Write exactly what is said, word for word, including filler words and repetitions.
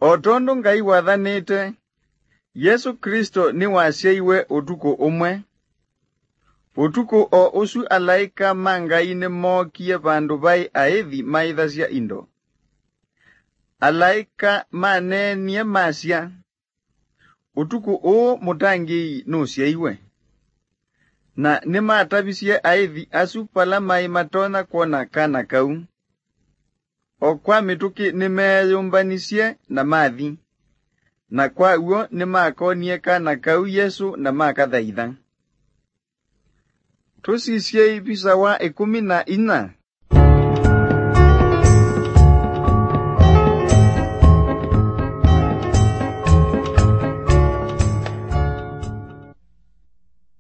O tondũ Ngai wathanĩte, Yesũ Klĩsto nĩwasyaiwe ũtukũ ũmwe. Ũtukũ o ũsu alaĩka ma Ngai nĩmookie vandũ vaĩ aĩthi maĩthasya indo. Alaĩka maneenie masya, "Ũtukũ ũũ mũtangĩĩi nũsyaiwe." Na nĩmatavisye aĩthi asu vala maĩ matonya kwona kana kau. O kwa mĩtũkĩ nĩmeeyũmbanisye na mathi, na kwa w'o nĩmakonie kana kau Yesũ na makathaitha. Tũsisyei visa wa ĩkũmi na inya.